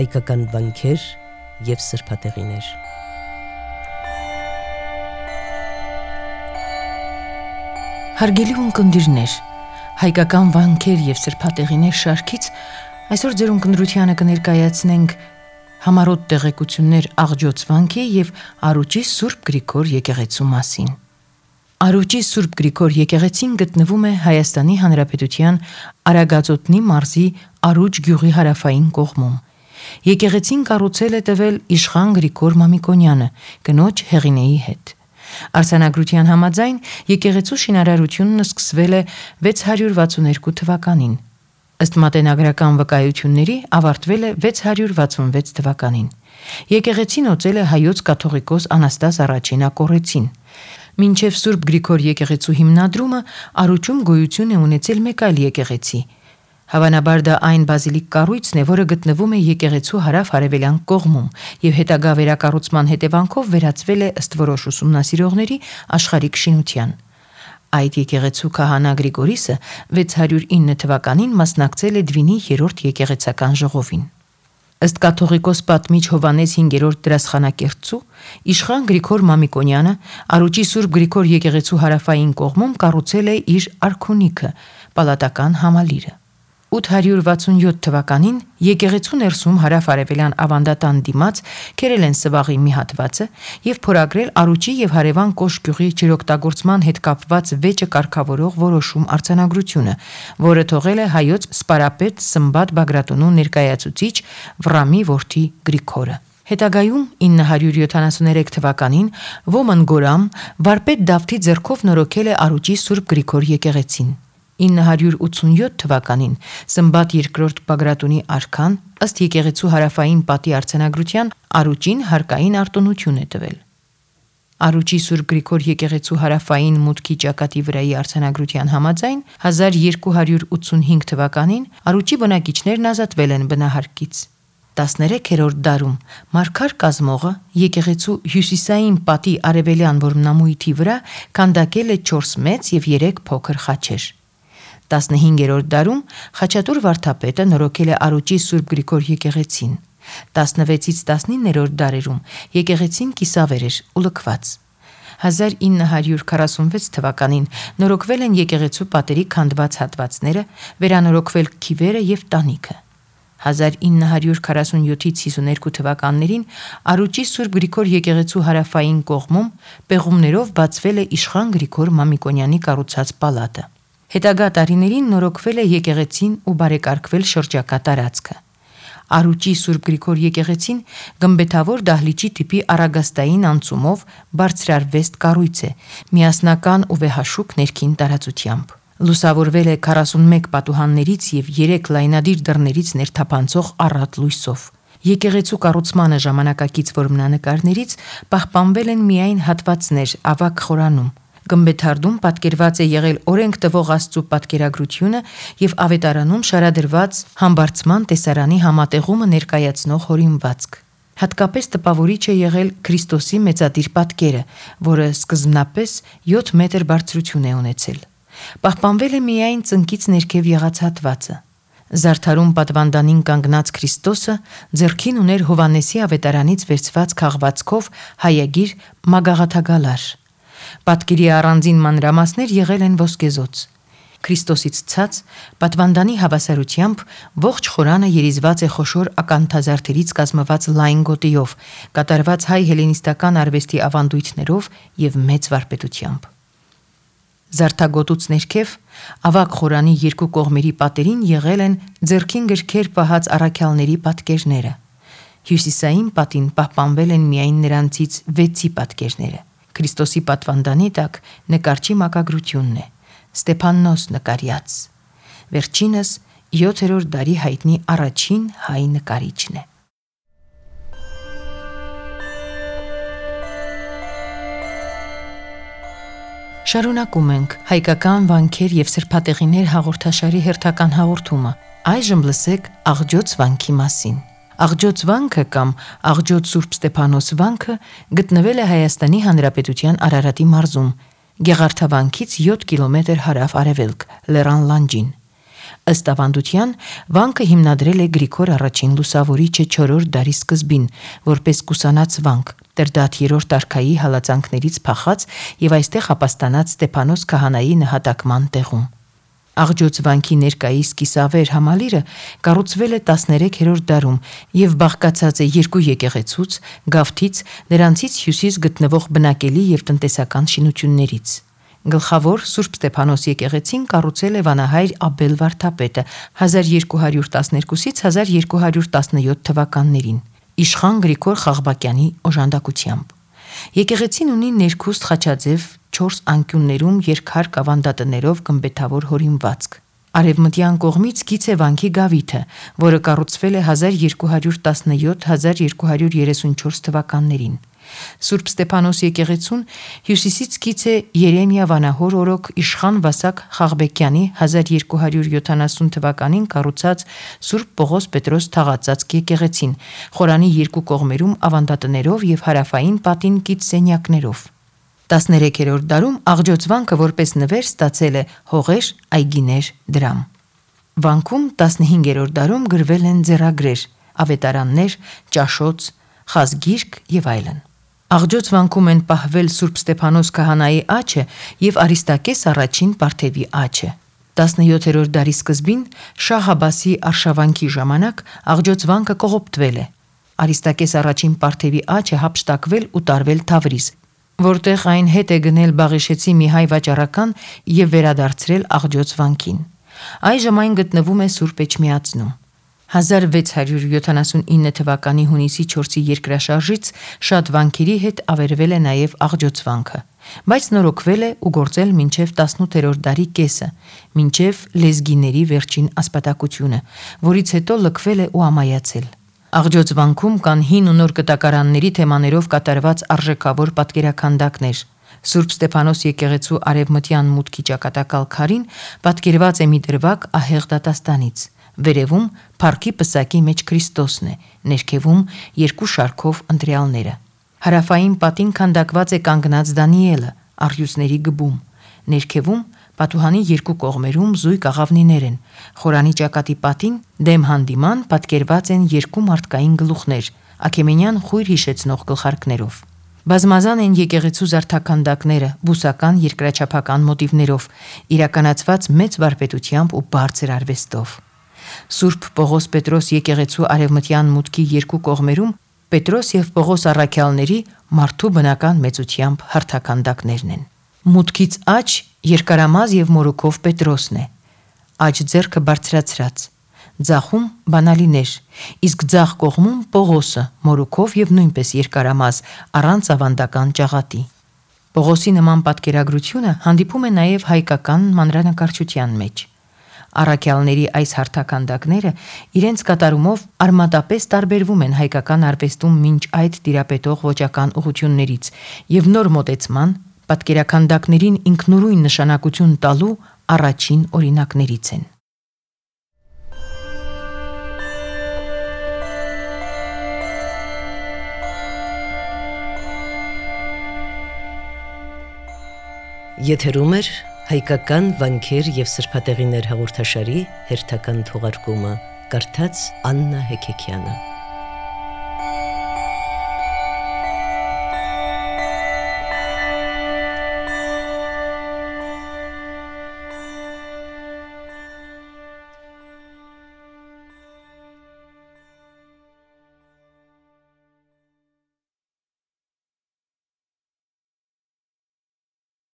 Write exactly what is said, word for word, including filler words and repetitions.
հայկական վանքեր և սրբատեղիներ։ Հարգելի ունկնդիրներ, հայկական վանքեր և սրբատեղիներ շարքից այսօր ձեր ունկնդրությանը կներկայացնենք համառոտ տեղեկություններ Աղջոց վանքի և Առուճի Սուրբ Գրիգոր եկեղեցու մասին։ Առուճի Սուրբ Գրիգոր եկեղեցին գտնվում է Հայաստանի Հանրապետության Արագածոտնի մարզի Առուճ գյուղի հարավային կողմում։ Եկեղեցին կառուցել է տվել իշխան Գրիգոր Մամիկոնյանը, կնոջ Հեղինեի հետ։ Արձանագրության համաձայն եկեղեցու շինարարությունն սկսվել է վեց հարյուր վաթսունութ թվականին։ Ըստ մատենագրական վկայությունների ավարտվել է վեց հարյուր վաթսունվեց թվականին։ Եկեղեցին օծել է հայոց կաթողիկոս Անաստաս առաջին Ակոռեցին։ Մինչև Սուրբ Գրիգոր եկեղեցու հիմնադրումը Առուճում գոյություն է ունեցել մեկ այլ եկեղեցի։ Հավանաբար դա այն բազիլիկ կառույցն է, որը գտնվում է եկեղեցու հարավ-արևելյան կողմում և հետագա վերակառուցման հետևանքով վերածվել է ըստ որոշ ուսումնասիրողների աշխարհիկ շինության։ Այդ եկեղեցու քահանա Գրիգորիսը վեց հարյուր ինը թվականին մասնակցել է Դվինի երրորդ եկեղեցական ժողովին։ Ըստ կաթողիկոս պատմիչ Հովհաննես հինգերորդ դրասխանակերտցու, իշխան Գրիգոր Մամիկոնյանը Առուճի Սուրբ Գրիգոր եկեղեցու հարավային կողմում կառուցել է իր արքունիքը, պալատական համալիրը։ ութ հարյուր վաթսունյոթ թվականին եկեղեցու ներսում հարավ-արևելյան ավանդատան դիմաց քերել են սվաղի մի հատվածը և փորագրել Առուճի և հարևան Կոշ գյուղի ջրօգտագործման հետ կապված վեճը կարգավորող որոշում արձանագրությունը, որը թողել է հայոց սպարապետ Սմբատ Բագրատունու ներկայացուցիչ Վռամի որդի Գրիգորը։ Հետագայում ինը հարյուր յոթանասուներեք թվականին Ոմն Գորամ վարպետ Դավթի ձեռքով նորոգել է Առուճի Սուրբ Գրիգոր եկեղեցին։ ինը հարյուր ութսունյոթ թվականին Սմբատ երկրորդ Բագրատունի արքան ըստ եկեղեցու հարավային պատի արձանագրության Առուճին հարկային արտոնություն է տվել։ Առուճի Սուրբ Գրիգոր եկեղեցու հարավային մուտքի ճակատի վրայի արձանագրության համաձայն հազար երկու հարյուր ութսունհինգ թվականին Առուճի բնակիչներն ազատվել են բնահարկից։ տասներեքերորդ դարում մարգար կազմողը եկեղեցու հյուսիսային պատի արևելյան որմնամույթի վրա քանդակել է չորս մեծ և երեք փոքր խաչեր։ տասնհինգերորդ դարում Խաչատուր վարդապետը նորոգել է Առուճի Սուրբ Գրիգոր եկեղեցին։ տասնվեցից տասնիններորդ դարերում եկեղեցին կիսավեր էր ու լքված։ հազար ինը հարյուր քառասունվեց թվականին նորոգվել են եկեղեցու պատերի քանդված հատվածները, վերանորոգվել քիվերը և տանիքը։ հազար ինը հարյուր քառասունյոթից հիսուներկու թվականներին Առուճի Սուրբ Գրիգոր եկեղեցու հարավային կողմում պեղումներով բացվել է իշխան Գրիգոր Մամիկոնյանի կառուցած պալատը։ Հետագա տարիներին նորոգվել է եկեղեցին ու բարեկարգվել շրջակա տարածքը։ Առուճի Սուրբ Գրիգոր եկեղեցին գմբեթավոր դահլիճի տիպի առագաստային անցումով բարձրարվեստ կառույց է, միասնական ու վեհաշուք ներքին տարածությամբ։ Լուսավորվել է քառասունմեկ պատուհաններից և երեք լայնադիր դռներից ներթափանցող առատ լույսով։ Եկեղեցու կառուցմանը ժամանակակից որմնանկարներից պահպանվել են միայն հատվածներ ավագ խորանում։ Գմբեթարդում պատկերված է եղել օրենք տվող Աստծու պատկերագրությունը և ավետարանում շարադրված Համբարձման տեսարանի համատեղումը ներկայացնող հորինվածք։ Հատկապես տպավորիչ է եղել Քրիստոսի մեծադիր պատկերը, որը սկզբնապես յոթ մետր բարձրություն է ունեցել։ Պահպանվել է միայն ծնկից ներքև եղած հատվածը։ Զարդարում պատվանդանին կանգնած Քրիստոսը ձեռքին ուներ Հովհաննեսի ավետարանից վերցված քաղվածքով հայագիր մագաղաթագալար։ Պատկերի առանձին մանրամասներ եղել են ոսկեզոծ։ Քրիստոսից ցած պատվանդանի հավասարությամբ ողջ խորանը երիզված է խոշոր ականթազարդերից կազմված լայն գոտիով, կատարված հայ հելենիստական արվեստի ավանդույթներով և մեծ վարպետությամբ։ Զարդագոտուց ներքև ավագ խորանի երկու կողմերի պատերին եղել են ձեռքին գրքեր պահած առաքյալների պատկերները։ Հյուսիսային պատին պահպանվել են միայն նրանցից վեցի պատկերները։ Քրիստոսի պատվանդանի տակ նկարչի մակագրությունն է, Ստեփաննոս նկարյաց։ Վերջինս յոթերորդ դարի հայտնի առաջին հայ նկարիչն է։ Շարունակում ենք հայկական վանքեր և սրբատեղիներ հաղորդաշարի հերթական հաղորդումը։ Այժմ լսեք Աղջոց վանքի մասին։ Աղջոց վանքը կամ Աղջոց Սուրբ Ստեփանոս վանքը գտնվել է Հայաստանի Հանրապետության Արարատի մարզում, Գեղարդավանքից յոթ կիլոմետր հարավ-արևելք, Լեռան լանջին։ Ըստ ավանդության, վանքը հիմնադրել է Գրիգոր առաջին Լուսավորիչը չորրորդ դարի սկզբին, որպես կուսանած վանք, Տրդատ երրորդ արքայի հալածանքներից փախած եւ այստեղ ապաստանած Ստեփանոս քահանայի նահատակման տեղում։ Աղջոց վանքի ներկայիս կիսավեր համալիրը կառուցվել է տասներեքերորդ դարում եւ բաղկացած է երկու եկեղեցուց, գավթից, նրանցից հյուսիս գտնվող բնակելի եւ տնտեսական շինություններից։ Գլխավոր Սուրբ Ստեփանոս եկեղեցին կառուցել է վանահայր Աբել վարդապետը հազար երկու հարյուր տասներկուսից հազար երկու հարյուր տասնյոթ թվականներին, իշխան Գրիգոր Խաղբակյանի օժանդակությամբ։ Եկեղեցին ունի ներքուստ խաչաձև չորս անկյուններում երկհարկ ավանդատներով գմբեթավոր հորինվածք։ Արևմտյան կողմից գիծ է վանքի գավիթը, որը կառուցվել է հազար երկու հարյուր տասնյոթ հազար երկու հարյուր երեսունչորս թվականներին։ Սուրբ Ստեփանոս եկեղեցուն հյուսիսից գիծ է Երեմիա վանահոր օրոք իշխան Վասակ Խաղբեկյանի հազար երկու հարյուր յոթանասուն թվականին կառուցած Սուրբ Պողոս Պետրոս թաղածածկ եկեղեցին, խորանի երկու կողմերում ավանդատներով եւ հարավային պատին գիծ սենյակներով։ տասներեքերորդ դարում Աղջոց վանքը որպես նվեր ստացել է հողեր, այգիներ, դրամ։ Վանքում տասնհինգերորդ դարում գրվել են ձեռագրեր, ավետարաններ, ճաշոց, խազգիրք եւ այլն։ Աղջոց վանքում են պահվել Սուրբ Ստեփանոս քահանայի աջը եւ Արիստակես առաջին Պարթևի աջը։ տասնյոթերորդ դարի սկզբին Շահ Աբասի արշավանքի ժամանակ Աղջոց վանքը կողոպտվել է։ Արիստակես առաջին Պարթևի աջը հափշտակվել ու տարվել Թավրիզ, որտեղ այն հետ է գնել Բաղիշեցի մի հայ վաճառական եւ վերադարձրել Աղջոց վանքին։ Այժմ այն գտնվում է Սուրբ Էջմիածնում։ հազար վեց հարյուր յոթանասունինը թվականի հունիսի չորսի երկրաշարժից շատ վանքերի հետ ավերվել է նաև Աղջոց վանքը, բայց նորոգվել է ու գործել մինչև տասնութերորդ դարի կեսը, մինչև լեզգիների վերջին ասպատակությունը, որից հետո լքվել է ու ամայացել։ Աղջոց վանքում կան հին ու նոր կտակարանների թեմաներով կատարված արժեքավոր պատկերաքանդակներ։ Սուրբ Ստեփանոս եկեղեցու արևմտյան մուտքի ճակատակալ քարին պատկերված է մի դրվագ ահեղ դատաստանից։ Վերևում փառքի պսակի մեջ Քրիստոսն է, ներքևում երկու շարքով ընտրյալները։ Հարավային պատին քանդակված է կանգնած Դանիելը, առյուծների գբում։ Ներքևում պատուհանի երկու կողմերում զույգ աղավնիներ են։ Խորանի ճակատի պատին դեմ հանդիման պատկերված են երկու մարդկային գլուխներ, աքեմենյան խույր հիշեցնող գլխարկներով։ Բազմազան են եկեղեցու զարդաքանդակները, բուսական երկրաչափական մոտիվներով, իրականացված մեծ վարպետությամբ ու բարձր արվեստով։ Սուրբ Պողոս Պետրոս եկեղեցու արևմտյան մուտքի երկու կողմերում Պետրոս եւ Պողոս առաքյալների մարդու բնական մեծությամբ հարթականդակներն են։ Մուտքից աջ երկարամազ եւ մորուքով Պետրոսն է, աջ ձեռքը բարձրացրած, ձախում բանալիներ, իսկ ձախ կողմում Պողոսը, մորուքով եւ նույնպես երկարամազ, առանց ավանդական ճաղատի։ Պողոսի նման պատկերագրությունը հանդիպում է նաեւ հայկական մանրանկարչության մեջ։ Առաքյալների այս հարթականդակները իրենց կատարումով արմատապես տարբերվում են հայկական արվեստում մինչ այդ տիրապետող ոճական ուղղություններից եւ նոր մոտեցման, պատկերաքանդակներին ինքնուրույն նշանակություն տալու առաջին օրինակներից են։ Եթերում է հայկական վանքեր եւ սրբատեղիներ հաղորդաշարի հերթական թողարկումը, կարդաց Աննա Հեքեքյանը։